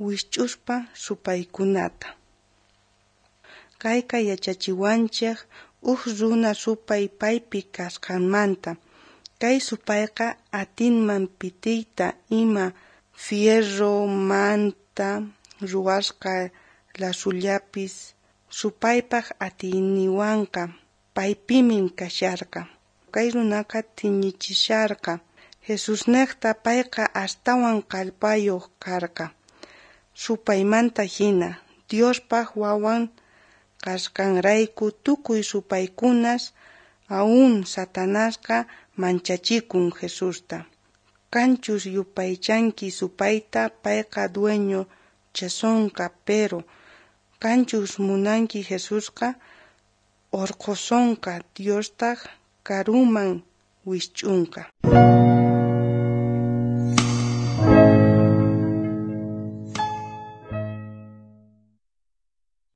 Wijch'uspa supaykunata. Kayqa yachachiwanchej uj runa supay paypi kasqanmanta. Kay supayqa atinman pitiyta ima fierromanta ruwasqa lasullapis, supaypaj atiyninwanqa paypimin kasharqa. Kay runaqa thiñichisharqa Jesusnejta, payqa astawan kallpayoj karqa supaymanta jina. Diospaj wawan kasqanrayku tukuy supaykunas, aún Satanasqa manchachikun Jesusta. Qanchus yupaychanki supayta, payqa dueñochasonqa, pero qanchus munanki Jesusqa orqhosonqa, Diostaj karuman wijch'onqa.